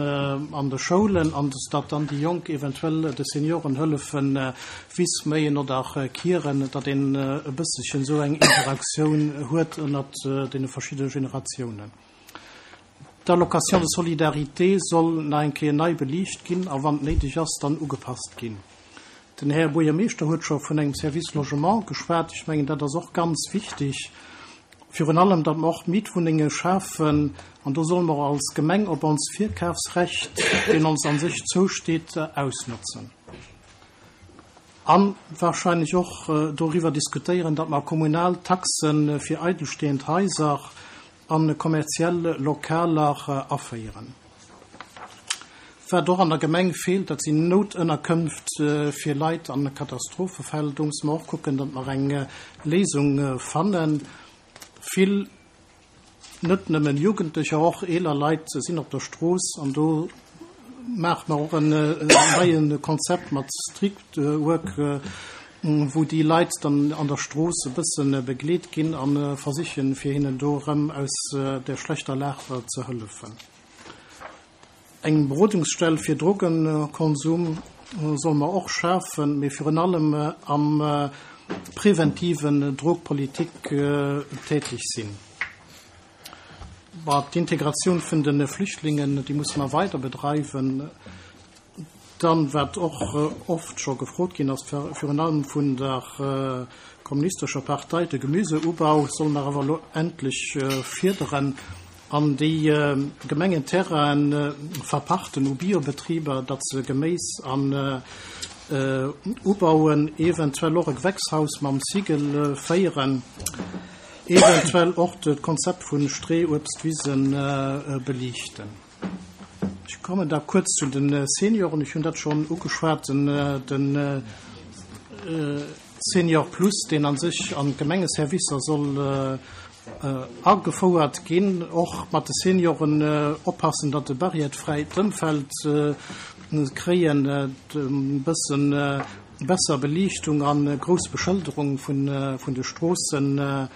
an de Schoulen an datt dann déi Jonk eventuell de Senioren hëllefen Wiss méien oder kieren, datt een e bësselchen esou eng Interaktioun huet ënnert deene verschiddene Generatiounen. D'Allocation de solidarité soll nach eng Kéier nei beliicht ginn a wann et néideg ass, dann ugepasst ginn. Den Här Buergermeeschter huet scho vun engem Service Logement geschwat. Ech mengen, dat ass och ganz wichtig, virun allem, datt mer och Mietwunnenge schafen. An do solle mer als Gemeng op ons Virkafsrecht, deen ons a sech zousteet, ausnotzen. A wahrscheinlech och doriwwer diskutéieren, datt mer kommunal Taxe fir eidelstehend Haiser a kommerziell Lokaler aféieren. Wat och an der Gemeng feelt, dat sinn Noutënnerkënft fir Leit an Katastrophefäll. Do musse mer och kucken, datt mer eng Léisung fannen. Vill, net nëmmen Jugendlecher, och eeler Leit sinn op der Strooss an do maache mer och en neie Konzept mat Streetwork, wou déi Leit dann an der Strooss e bësse begleet ginn a versichen, fir hinnen do erëm aus der schlechter Lag ze hëllefen. Eng Berodungsstell fir Drogenkonsum solle mer och schafen, mee virun allem am preventiven Drogpolitik tätig sinn. D'Integratioun vun de Flüchtlingen, déi musse mer weider bedreiwen. Dann, wat och oft scho gefrot ginn ass, virun allem vun der Kommunistescher Partei, de Gemüseubau solle mer awer elo endlech fierderen an déi Gemengenterraine verpachten u Biobetriber, datt se Geméis an ubauen, eventuell och e Gewächshaus mam Sigel féieren, eventuell och d'Konzept vu Streeuebstwisen beliichten. Ech kommen da kuerz zu de Senioren. Ech hunn dat schonn ugeschwat, de Senior Plus, deen a sech an d'Gemengeservicer soll agefouert ginn. Och mat de Senioren oppassen, datt e barriètefräit Ëmfeld kréien, e bësse besser Beliichtung a grouss Beschëlderung vun de Stroossen.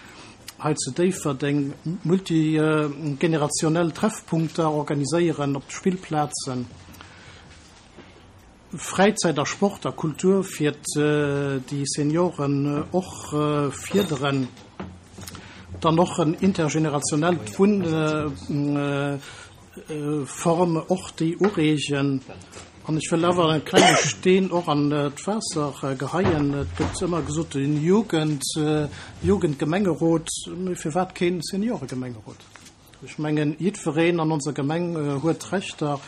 Hei zu Déifferdeng multigenerationell Treffpunkter organiséieren op de Spillplazen, Fräizäit a Sport a Kultur fir déi Senioren och fierderen, dann och en intergenerationellt Wunn. Form och déi ureegen. An ech wëll awer e klenge Steen och an d'Waasser geheien. Et gëtt ëmmer gesot, den Jugend, Jugendgemengerot, mee firwat keen Senioregemengerot? Ech mengen, jiddwereen an onser Gemeng huet Rechter,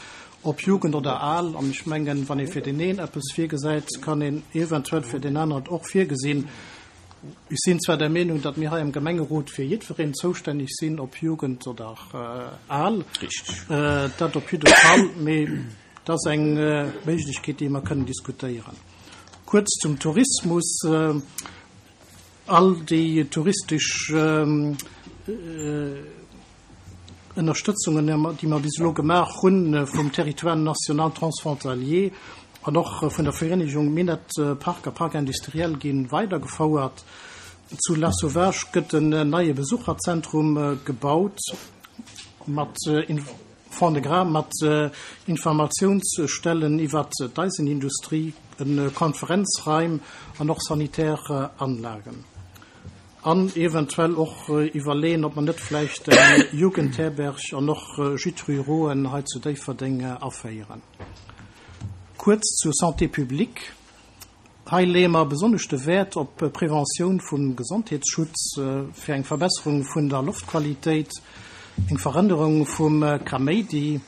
ob Jugend oder al. An ech mengen, wann ee fir deen een eppes virgesäit, kann een eventuell fir deen aneren et och virgesinn. Ech sinn zwar der Meenung, datt mir hei am Gemengerot fir jiddwereen zoustänneg sinn, ob Jugend oder al, dat op jidde Fall, mee et ass eng Méiglechkeet, déi mer kënnen diskutéieren. Kuerz zum Tourismus. All déi touristesch Ënnerstëtzungen, déi mer bis elo gemaach hunn vum Territoire national transfrontalier an och vun der Vereenegung Minett Park a Parc industriel gi weidergefouert. Zu Lasauvage gëtt en neie Besucherzentrum gebaut mat Fond-de-Gras, mat Informatiounsstellen iwwert d'Eisenindustrie, Konferenzraim an och sanitär Anlagen. An eventuell och iwwerleeën, ob mer net vläicht eng Jugendherberg an och Gîtes rurauxen hei zu Déifferdeng aféieren. Kuerz zur Santé publique. Hei leeë mer besonnesch de Wäert op Preventioun vum Gesondheetsschutz, fir eng Verbesserung vun der Loftqualitéit, eng Verännerung vum Kaméidi,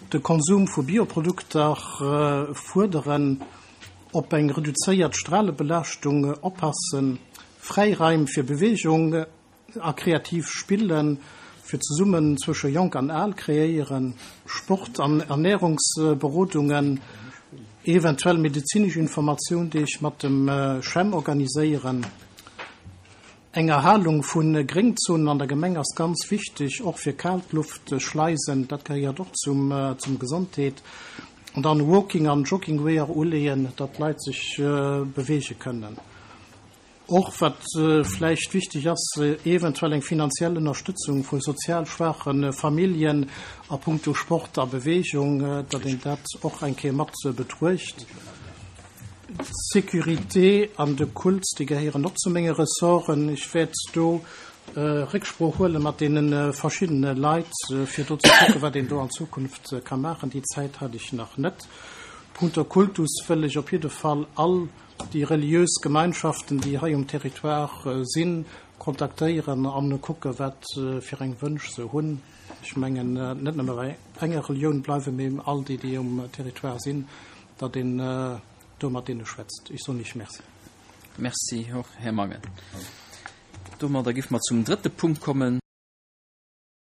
de Konsum vu Bioprodukter fuerderen, op eng reduzéiert Stralebelaaschtung oppassen, Fräiraim fir Beweegung a kreativ Spillen fir zesummen zwësche Jonk an Al kreéieren, Sport an Ernärungsberodungen, eventuell medezinesch Informatioundeeg mat dem CHEM organiséieren. Eng Erhalung vu Gréngzonen an der Gemeng ass ganz wichteg, och fir Kaltluftschleisen, dat gehéiert och zum Gesondheet. An dann Walking an Joggingweeër uleeën, datt d'Leit sech beweege kënnen. Och wat vläicht wichteg ass, eventuell eng finanziell Ënnerstëtzung vu sozial schwaache Familljen a puncto Sport a Beweegung, datt een dat och eng Kéier mat betruecht. D'Sécurité an de Kult, déi gehéieren och zu menge Ressorten. Ech wäert do Récksprooch huele mat deene verschiddene Leit, fir do ze kucken, wat een do an Zukunft ka maachen. Déi Zäit hat ech nach net. Punkto Kultus wëll ech op jidde Fall all déi reliös Gemeinschaften, déi hei um Territoire sinn, kontaktéieren an kucke wat fir eng Wënsch se hunn. Ech mengen net nëmme bei enger Relioun bleiwen, mee all déi, déi um Territoire sinn, datt een do mat deene schwätzt. Ech soen Iech Merci. Merci och, Här Mangen. Domadder géife mer zum drëtte Punkt kommen.